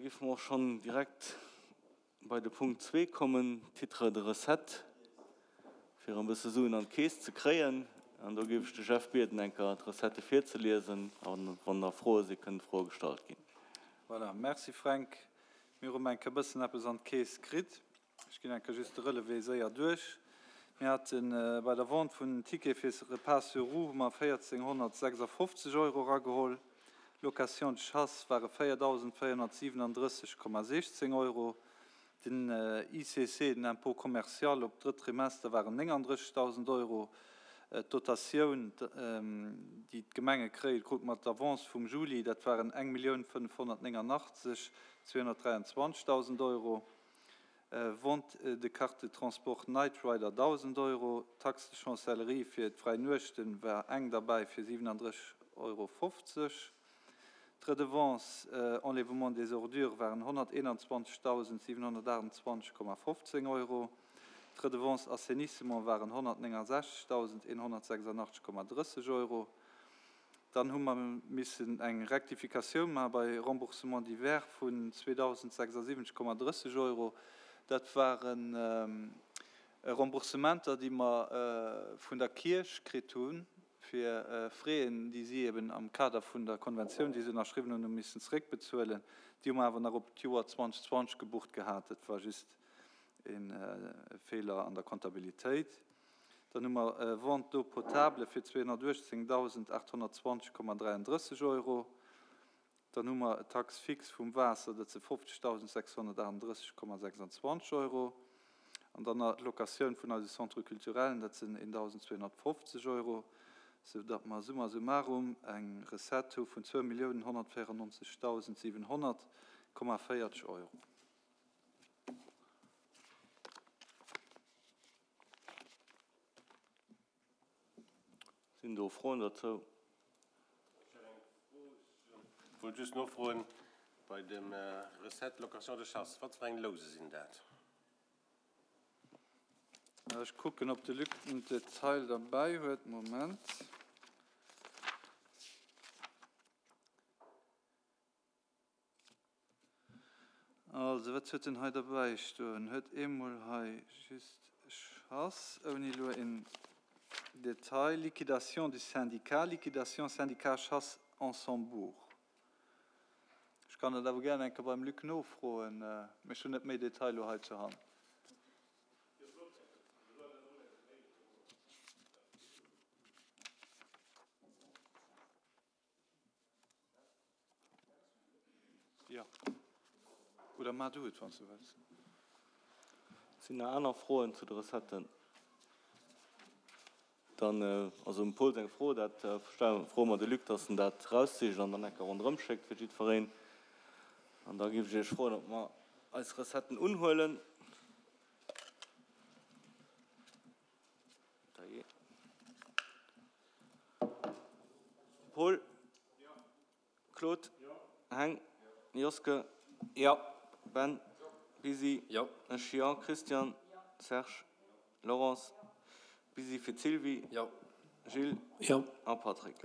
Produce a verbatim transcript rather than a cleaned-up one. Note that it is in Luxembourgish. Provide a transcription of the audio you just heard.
géife mer och schonn direkt bei de Punkt zwee kommen, Titres de recettes, fir e bësse Suen an d'Keess ze kréien. An do géif ech de Jeff bieden, eng Kéier d'Recettë virzeliesen. A wann nach Froe sinn, kënnen Froe gestallt ginn. Voilà, merci Fränk. Mir hu rëm eng Kéier e bëssen eppes an d'Keess kritt. Ech ginn eng Kéier just de Relevé séier duerch. Mir hate bei der Vente vun Tickete fir Repas sur roues hu mer véierzénghonnertsechsafofzeg Euro erageholl. Location de chasse ware véierdausendvéierhonnertsiwenandrësseg Komma siechzéng Euro. Den I C C, den Impôt commercial op d'drëtt Trimester waren néngandrëssigdausend Euro. D'Dotatioun, déi d'Gemenge kréien, krute mer d'Avance vum Juli, dat waren eng Millioun fënnefhonnertnéngandachtzeg zweehonnertdräianzwanzegdausend Euro. Vente de carte de transport Night Rider dausend Euro. Taxe de chancellerie fir d'fräi Nuechten war eng derbäi fir siwenandrësseg Euro fofzeg. D'Redevance enlèvement des ordures waren honnerteenanzwanzegdausendsiewenhonnertachtundzwanzeg Komma fofzéng Euro. D'Redevance assainissement waren honnertnéngensechzegdausendeenhonnertsechsandachtzeg Komma drësseg Euro. Dann hu mer missen eng Rektifikatioun maache bei Remboursement divers vun zweedausendsechsasiwwenzeg Komma drësseg Euro. Dat waren Remboursementer, déi mer vun der Kierch kritt hunn, fir Fräen, déi si eben am Kader vun der Konventioun, déi se ënnerschriwwen hunn, hu missen zeréckbezuelen. Déi hu mer awer nach op d'Joer zweedausendzwanzeg gebucht gehat. Dat war just e Feeler an der Comptabilitéit. Dann hu mer Vente d'eau potable fir zweehonnertuechtzéngdausendachthonnertzwanzeg Komma dräiandrësseg Euro. Dann hu mer Taxe fixe vum Waasser, dat si fofzegdausendsechshonnertaachtunddrësseg Komma sechsanzwanzeg Euro. An dann nach d'Locatioun vun eise Centre culturellen, dat sinn eendausendzweehonnertfofzeg Euro, soudatt mer summa summarum eng Recette hu vun zwou Milliounen honnertvéierennonzegdausendsiwenhonnert Komma véierzeg Euro. Sinn do Froen dozou? Ech hätt eng Fro. Ech wollt just nofroen, bei dem Recette location de chasse, wat fir eng Louse sinn dat? Ech kucken, ob de Luc den Detail derbäi huet. Moment. Also, wat huet en hei derbäi stoen? Huet eemol hei just Chasse, ouni elo en Detail. Liquidation du syndicat, liquidation syndicat chasse Ansembourg. Ech kann dat awer gären eng Kéier beim Luc nofroen, mee ech hunn net méi Detail elo hei zur Hand. Jo. Oder maach du et, wann s du wëlls. Sinn nach aner Froen zu de Recetten? Dann ass um Paul seng Fro, dat froe mer de Luc, dass en dat eraussicht an dann eng Kéier ronderëm schéckt fir jiddwereen. An da géif ech Iech froen, ob mer eis Recetten unhuelen. Paul? Claude? Heng? Joske? Ben? Bisi? Ech jo. Christian? Serge? Laurence? Bisi fir d'Sylvie? Gilles? A Patrick?